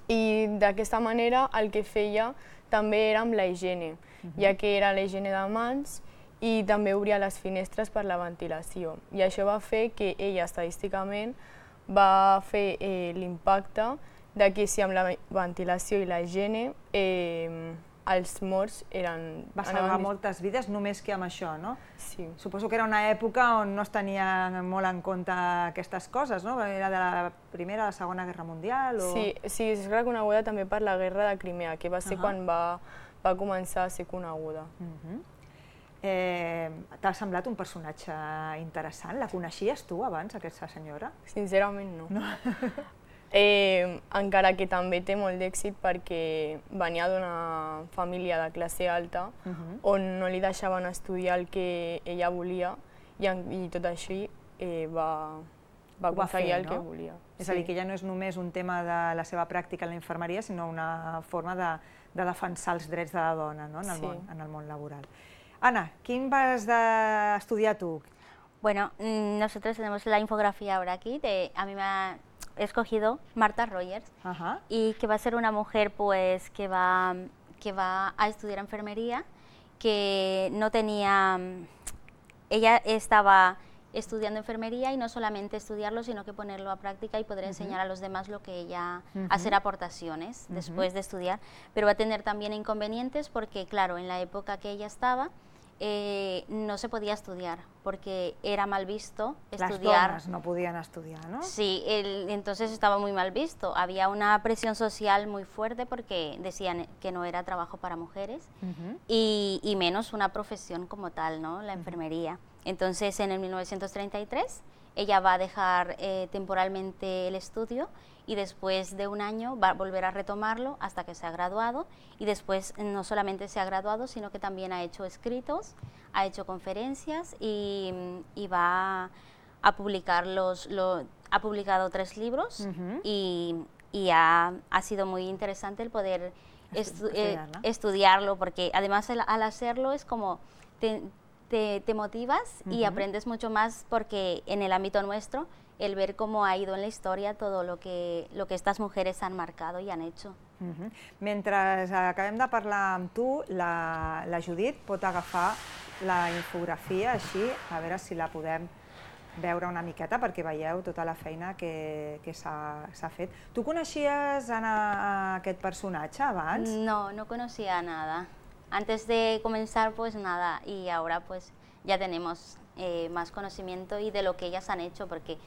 I d'aquesta manera el que feia també era amb la higiene, ja que era la higiene de mans i també obria les finestres per la ventilació. I això va fer que ella estadísticament va fer l'impacte de que si amb la ventilació i la higiene els morts eren... Va salvar moltes vides només que amb això, no? Sí. Suposo que era una època on no es tenien molt en compte aquestes coses, no? Era de la Primera o la Segona Guerra Mundial? Sí, és reconeguda també per la Guerra de Crimea, que va ser quan va començar a ser coneguda. T'ha semblat un personatge interessant? La coneixies tu abans, aquesta senyora? Sincerament no. Encara que també té molt d'èxit perquè venia d'una família de classe alta on no li deixaven estudiar el que ella volia i tot així va aconseguir el que volia. És a dir, que ja no és només un tema de la seva pràctica en la infermeria, sinó una forma de defensar els drets de la dona en el món laboral. Ana, quin vas estudiar tu? Bueno, nosotros tenemos la infografía ahora aquí, a mí me ha escogido Martha Rogers, y que va a ser una mujer pues que va a estudiar enfermería, que no tenía, ella estaba estudiando enfermería y no solamente estudiarlo, sino que ponerlo a práctica y poder enseñar a los demás lo que ella, hacer aportaciones después de estudiar, pero va a tener también inconvenientes porque claro, en la época que ella estaba, no se podía estudiar porque era mal visto estudiar. Las donas no podían estudiar, ¿no? Sí, entonces estaba muy mal visto. Había una presión social muy fuerte porque decían que no era trabajo para mujeres y menos una profesión como tal, ¿no? La enfermería. Entonces en el 1933 ella va a dejar temporalmente el estudio y después de un año va a volver a retomarlo hasta que se ha graduado y después no solamente se ha graduado, sino que también ha hecho escritos, ha hecho conferencias y va a publicar ha publicado 3 libros y ha sido muy interesante el poder estudiarlo porque además al hacerlo es como te motivas y aprendes mucho más porque en el ámbito nuestro el ver cómo ha ido en la historia todo lo que estas mujeres han marcado y han hecho. Mentre acabem de parlar amb tu, la Judit pot agafar la infografia així, a veure si la podem veure una miqueta perquè veieu tota la feina que s'ha fet. Tu coneixies aquest personatge abans? No, no conocía nada. Antes de comenzar pues nada y ahora pues ya tenemos más conocimiento y de lo que ellas han hecho porque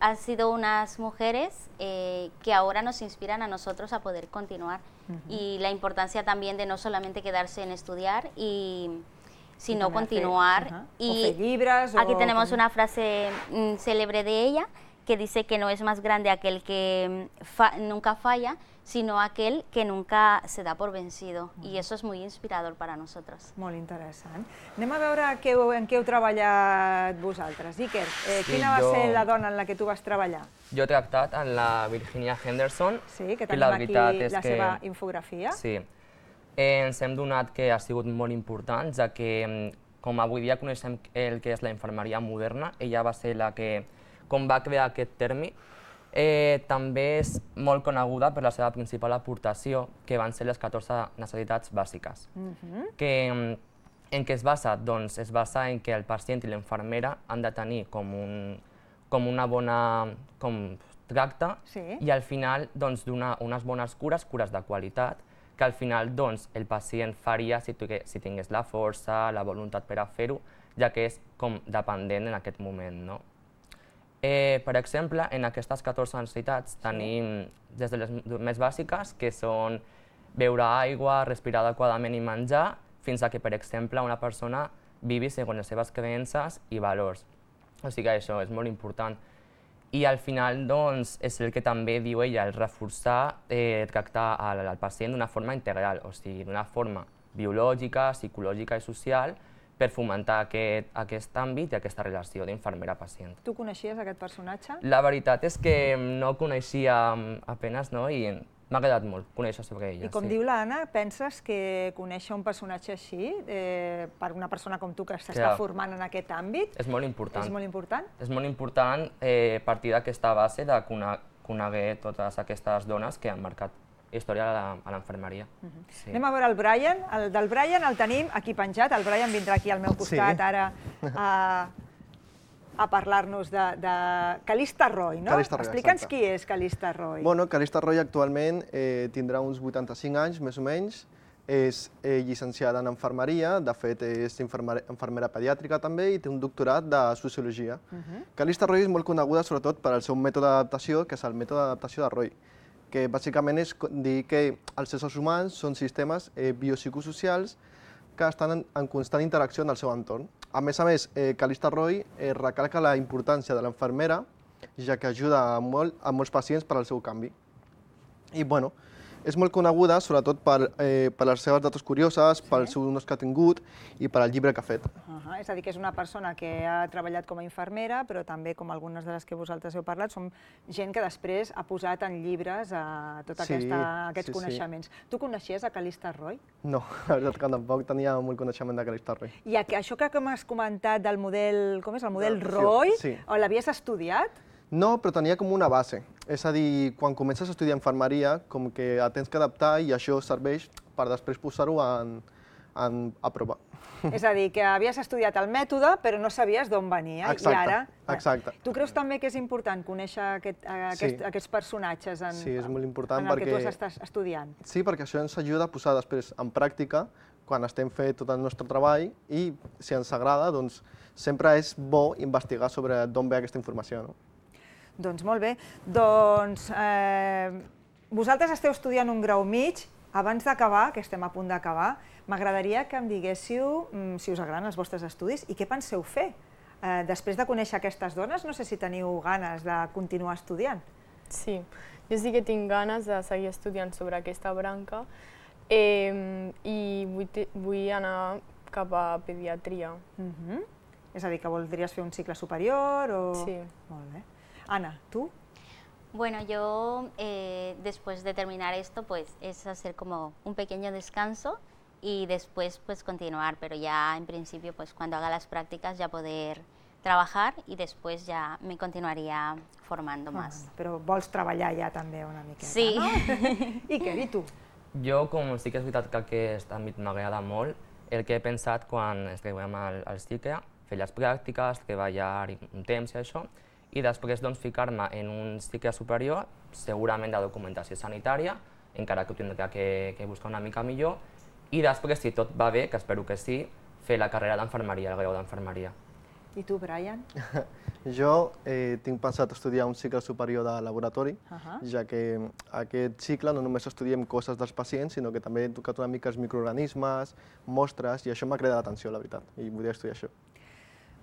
han sido unas mujeres que ahora nos inspiran a nosotros a poder continuar y la importancia también de no solamente quedarse en estudiar sino continuar. Y aquí tenemos una frase célebre de ella que dice que no es más grande aquel que nunca falla, sino aquel que nunca se da por vencido. I eso és molt inspirador per a nosaltres. Molt interessant. Anem a veure en què heu treballat vosaltres. Iker, quina va ser la dona en la que tu vas treballar? Jo he tractat amb la Virginia Henderson. Sí, que tenim aquí la seva infografia. Sí. Ens hem donat que ha sigut molt important, ja que com avui dia coneixem el que és la infermeria moderna, ella va ser la que va crear aquest terme. També és molt coneguda per la seva principal aportació, que van ser les 14 necessitats bàsiques. En què es basa? Doncs es basa en que el pacient i l'infermera han de tenir com una bona tracte i al final donar unes bones cures de qualitat, que al final el pacient faria si tingués la força, la voluntat per a fer-ho, ja que és com dependent en aquest moment. Per exemple, en aquestes 14 necessitats tenim des de les més bàsiques, que són beure aigua, respirar adequadament i menjar, fins a que, per exemple, una persona vivi segons les seves creences i valors. O sigui que això és molt important. I al final, doncs, és el que també diu ella, el reforçar, tractar al pacient d'una forma integral, o sigui, d'una forma biològica, psicològica i social, per fomentar aquest àmbit i aquesta relació d'infermera-pacient. Tu coneixies aquest personatge? La veritat és que no el coneixia apenas, i m'ha agradat molt conèixer sobre ella. I com diu l'Anna, penses que conèixer un personatge així, per una persona com tu que s'està formant en aquest àmbit, és molt important. És molt important? És molt important partir d'aquesta base de coneguer totes aquestes dones que han marcat història a l'infermeria. Anem a veure el Brian. El del Brian el tenim aquí penjat. El Brian vindrà aquí al meu costat ara a parlar-nos de Calista Roy, no? Explica'ns qui és Calista Roy. Bueno, Calista Roy actualment tindrà uns 85 anys, més o menys. És llicenciada en infermeria, de fet és infermera pediàtrica també i té un doctorat de sociologia. Calista Roy és molt coneguda sobretot per al seu mètode d'adaptació, que és el mètode d'adaptació de Roy, que bàsicament és dir que els éssers humans són sistemes biopsicosocials que estan en constant interacció amb el seu entorn. A més, Calista Roy recalca la importància de l'infermera, ja que ajuda a molts pacients per al seu canvi. I, bueno, és molt coneguda sobretot per les seves dates curioses, pels seus honors que ha tingut i per al llibre que ha fet. És a dir, que és una persona que ha treballat com a infermera, però també, com algunes de les que vosaltres heu parlat, són gent que després ha posat en llibres tots aquests coneixements. Tu coneixies a Calista Roy? No, la veritat que tampoc tenia molt coneixement de Calista Roy. I això que m'has comentat del model, com és, el model Roy, l'havies estudiat? No, però tenia com una base. És a dir, quan comences a estudiar infermeria, com que tens que adaptar i això serveix per després posar-ho a prova. És a dir, que havies estudiat el mètode, però no sabies d'on venia. Exacte. Tu creus també que és important conèixer aquests personatges en el que tu estàs estudiant? Sí, perquè això ens ajuda a posar després en pràctica quan estem fent tot el nostre treball i, si ens agrada, doncs sempre és bo investigar sobre d'on ve aquesta informació. Doncs molt bé. Doncs vosaltres esteu estudiant un grau mig. Abans d'acabar, que estem a punt d'acabar, m'agradaria que em diguéssiu si us agraden els vostres estudis i què penseu fer. Després de conèixer aquestes dones, no sé si teniu ganes de continuar estudiant. Sí, jo sí que tinc ganes de seguir estudiant sobre aquesta branca i vull anar cap a pediatria. És a dir, que voldries fer un cicle superior o...? Sí. Molt bé. Ana, ¿tú? Bueno, yo después de terminar esto, pues es hacer como un pequeño descanso y después pues continuar, pero ya en principio pues cuando haga las prácticas ya poder trabajar y después ya me continuaría formando más. Però vols treballar ja també una miqueta, sí. No? Iker, i tu? Jo, com sí que és veritat que aquest àmbit m'agrada molt, el que he pensat quan estiguem al cicle, fer les pràctiques, treballar un temps i això, i després ficar-me en un cicle superior, segurament de documentació sanitària, encara que ho tindrà que buscar una mica millor, i després, si tot va bé, que espero que sí, fer la carrera d'enfermeria, el grau d'enfermeria. I tu, Brian? Jo tinc pensat estudiar un cicle superior de laboratori, ja que aquest cicle no només estudiem coses dels pacients, sinó que també he tocat una mica els microorganismes, mostres, i això m'ha cridat l'atenció, la veritat, i volia estudiar això.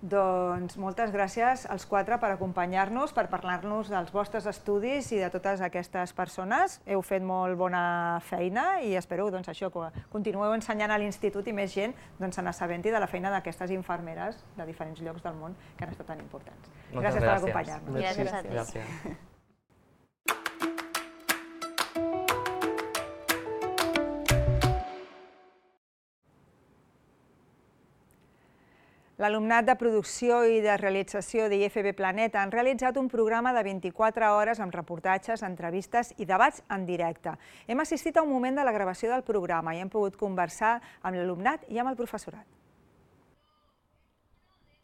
Doncs moltes gràcies als quatre per acompanyar-nos, per parlar-nos dels vostres estudis i de totes aquestes persones. Heu fet molt bona feina i espero això, que continueu ensenyant a l'institut i més gent se n'assabenti de la feina d'aquestes infermeres de diferents llocs del món que han estat tan importants. Gràcies per acompanyar-nos. Gràcies a tu. L'alumnat de producció i de realització d'IFB Planeta han realitzat un programa de 24 hores amb reportatges, entrevistes i debats en directe. Hem assistit a un moment de la gravació del programa i hem pogut conversar amb l'alumnat i amb el professorat.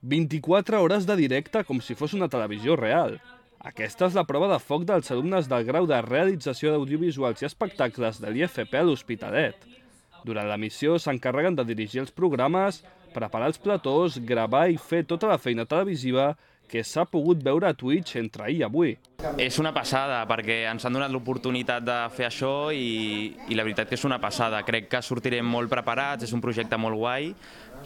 24 hores de directe com si fos una televisió real. Aquesta és la prova de foc dels alumnes del grau de realització d'audiovisuals i espectacles de l'IFP a l'Hospitalet. Durant l'emissió s'encarreguen de dirigir els programes, preparar els platós, gravar i fer tota la feina televisiva que s'ha pogut veure a Twitch entre ahir i avui. És una passada, perquè ens han donat l'oportunitat de fer això i la veritat que és una passada. Crec que sortirem molt preparats, és un projecte molt guai,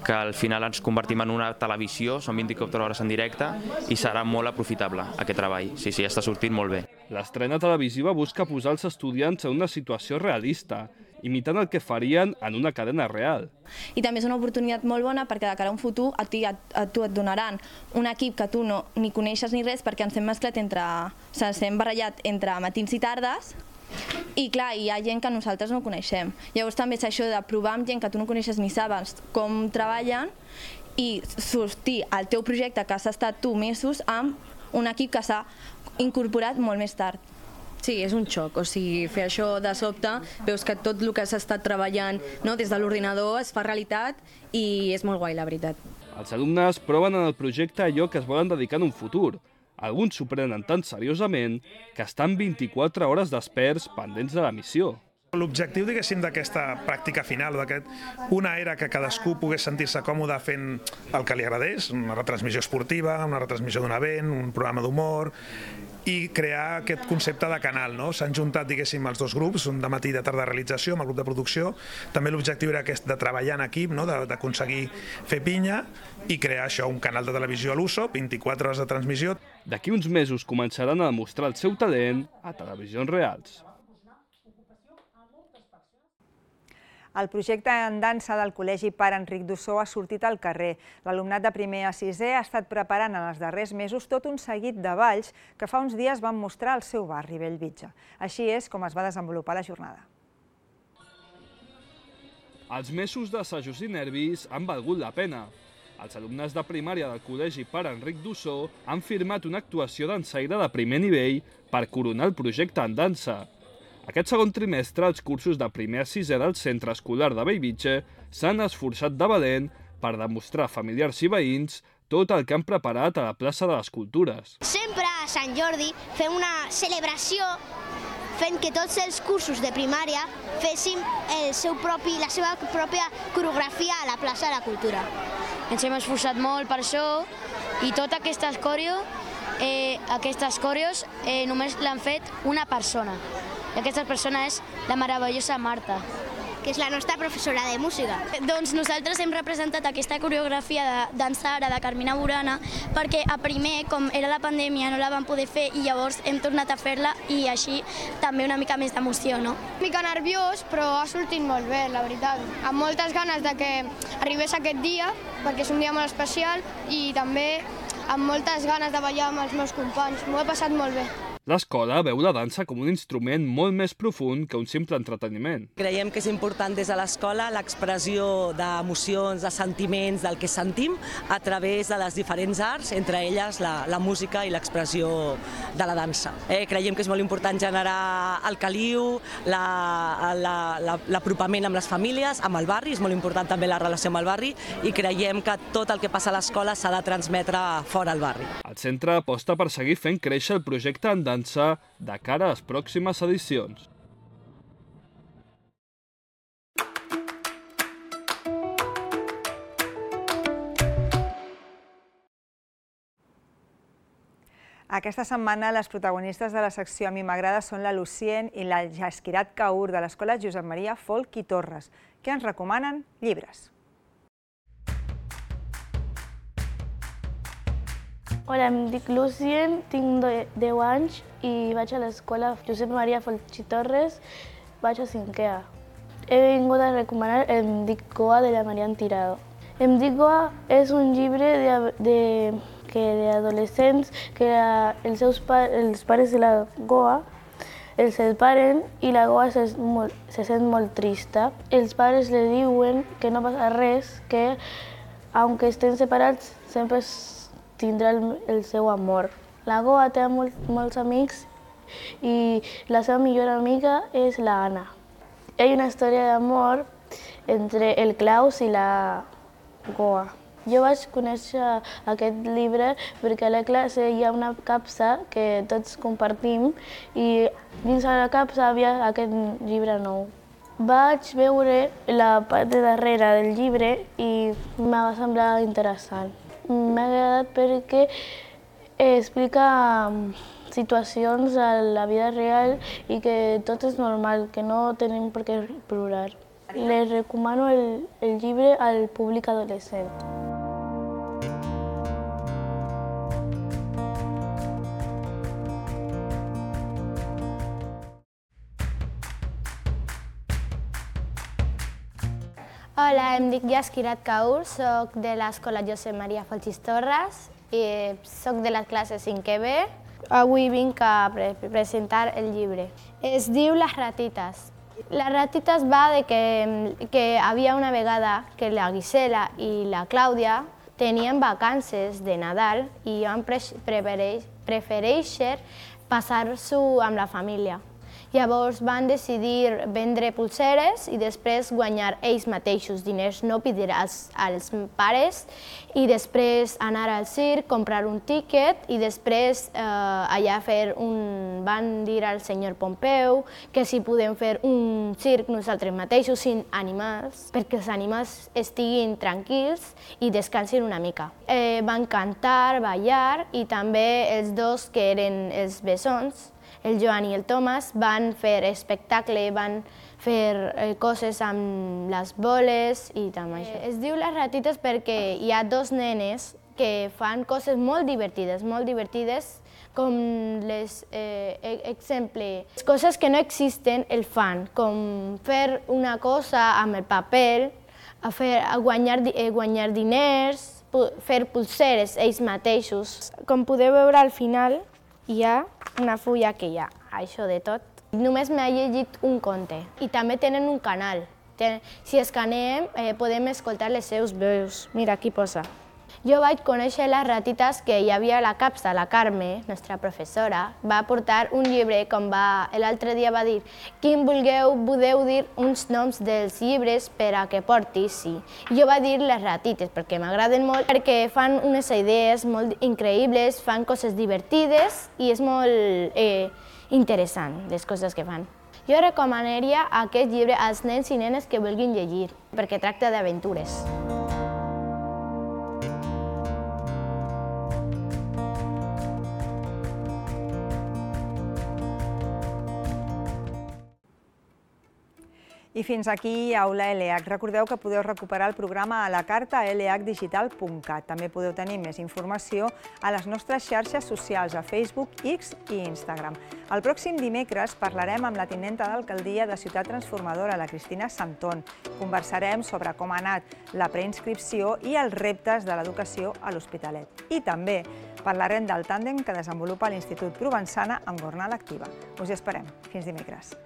que al final ens convertim en una televisió, són 24 hores en directe i serà molt aprofitable aquest treball. Sí, està sortint molt bé. L'estrena televisiva busca posar els estudiants en una situació realista, imitant el que farien en una cadena real. I també és una oportunitat molt bona perquè de cara a un futur a tu et donaran un equip que tu no ni coneixes ni res perquè ens hem mesclat ens hem barrellat entre matins i tardes i clar, hi ha gent que nosaltres no coneixem. Llavors també és això de provar amb gent que tu no coneixes ni saps com treballen i sortir al teu projecte que has estat tu mesos amb un equip que s'ha incorporat molt més tard. Sí, és un xoc, o sigui, fer això de sobte, veus que tot el que s'ha estat treballant des de l'ordinador es fa realitat i és molt guai, la veritat. Els alumnes proven en el projecte allò que es volen dedicar en un futur. Alguns s'ho prenen tan seriosament que estan 24 hores desperts pendents de la missió. L'objectiu, diguéssim, d'aquesta pràctica final, una era que cadascú pogués sentir-se còmode fent el que li agradés, una retransmissió esportiva, una retransmissió d'un event, un programa d'humor, i crear aquest concepte de canal. S'han juntat, diguéssim, els dos grups, un de matí i de tarda de realització, amb el grup de producció. També l'objectiu era aquest de treballar en equip, d'aconseguir fer pinya i crear això, un canal de televisió a l'USO, 24 hores de transmissió. D'aquí uns mesos començaran a demostrar el seu talent a televisions reals. El projecte en dansa del Col·legi Pare Enric d'Ossó ha sortit al carrer. L'alumnat de primer a sisè ha estat preparant en els darrers mesos tot un seguit de balls que fa uns dies van mostrar al seu barri, Bellvitge. Així és com es va desenvolupar la jornada. Els mesos d'assajos i nervis han valgut la pena. Els alumnes de primària del Col·legi Pare Enric d'Ossó han firmat una actuació dansaire de primer nivell per coronar el projecte en dansa. Aquest segon trimestre, els cursos de primer a sisè del Centre Escolar de Bellvitge s'han esforçat de valent per demostrar a familiars i veïns tot el que han preparat a la plaça de les Cultures. Sempre a Sant Jordi fem una celebració fent que tots els cursos de primària fessin la seva pròpia coreografia a la plaça de la Cultura. Ens hem esforçat molt per això i totes aquestes coreos només l'han fet una persona. I aquesta persona és la meravellosa Marta, que és la nostra professora de música. Doncs nosaltres hem representat aquesta coreografia de Dansara de Carmina Burana perquè a primer, com era la pandèmia, no la vam poder fer i llavors hem tornat a fer-la i així també una mica més d'emoció, no? Una mica nerviós, però ha sortit molt bé, la veritat. Amb moltes ganes de que arribés aquest dia, perquè és un dia molt especial i també amb moltes ganes de ballar amb els meus companys. M'ho he passat molt bé. L'escola veu la dansa com un instrument molt més profund que un simple entreteniment. Creiem que és important des de l'escola l'expressió d'emocions, de sentiments, del que sentim a través de les diferents arts, entre elles la música i l'expressió de la dansa. Creiem que és molt important generar el caliu, l'apropament amb les famílies, amb el barri, és molt important també la relació amb el barri i creiem que tot el que passa a l'escola s'ha de transmetre fora al barri. El centre aposta per seguir fent créixer el projecte en dansa de cara a les pròximes edicions. Aquesta setmana les protagonistes de la secció A mi m'agrada són la Lucien i la Jasquirat Kaur de l'Escola Josep Maria Folch i Torres, que ens recomanen llibres. Hola, em dic Lucien, tinc 10 anys i vaig a l'escola Josep Maria Folchi Torres, vaig a 5è A. He vingut a recomanar Em dic Goa de la Marian Tirado. Em dic Goa és un llibre d'adolescents que els pares de la Goa els separen i la Goa se sent molt trista. Els pares li diuen que no passa res, que aunque estén separats sempre tindrà el seu amor. La Goa té molts amics i la seva millor amiga és la Anna. Hi ha una història d'amor entre el Klaus i la Goa. Jo vaig conèixer aquest llibre perquè a la classe hi ha una capsa que tots compartim i dins de la capsa havia aquest llibre nou. Vaig veure la part de darrere del llibre i em va semblar interessant. M'ha agradat perquè explica situacions a la vida real i que tot és normal, que no tenim per què plorar. Les recomano el llibre al públic adolescent. Hola, em dic Yaskirat Kaur, soc de l'escola Josep Maria Folchi Torres i soc de la classe 5è B. Avui vinc a presentar el llibre. Es diu Les ratites. Les ratites va de que havia una vegada que la Gisela i la Clàudia tenien vacances de Nadal i van prefereixer passar-s'ho amb la família. Llavors van decidir vendre pulseres i després guanyar ells mateixos diners, no pedir als pares, i després anar al circ, comprar un tíquet i després allà van dir al senyor Pompeu que si podem fer un circ nosaltres mateixos sin animals, perquè els animals estiguin tranquils i descansin una mica. Van cantar, ballar i també els dos que eren els bessons, el Joan i el Thomas, van fer espectacle, van fer coses amb les boles i també això. Es diu Les ratites perquè hi ha dos nenes que fan coses molt divertides, com exemple, coses que no existen el fan, com fer una cosa amb el paper, guanyar diners, fer pulseres ells mateixos. Com podeu veure al final, hi ha una fulla que hi ha això de tot. Només m'ha llegit un conte i també tenen un canal. Si escaneem podem escoltar les seus veus. Mira, aquí posa. Jo vaig conèixer les ratites que hi havia a la capsa. La Carme, nostra professora, va portar un llibre com l'altre dia va dir «Quin podeu dir uns noms dels llibres per a que porti?» Sí. Jo vaig dir les ratites perquè m'agraden molt, perquè fan unes idees molt increïbles, fan coses divertides i és molt interessant les coses que fan. Jo recomanaria aquest llibre als nens i nenes que vulguin llegir, perquè tracta d'aventures. I fins aquí Aula LH. Recordeu que podeu recuperar el programa a la carta a lhdigital.cat. També podeu tenir més informació a les nostres xarxes socials, a Facebook, X i Instagram. El pròxim dimecres parlarem amb la tinenta d'alcaldia de Ciutat Transformadora, la Cristina Santón. Conversarem sobre com ha anat la preinscripció i els reptes de l'educació a l'Hospitalet. I també parlarem del tàndem que desenvolupa l'Institut Provençana amb Gornal Activa. Us hi esperem. Fins dimecres.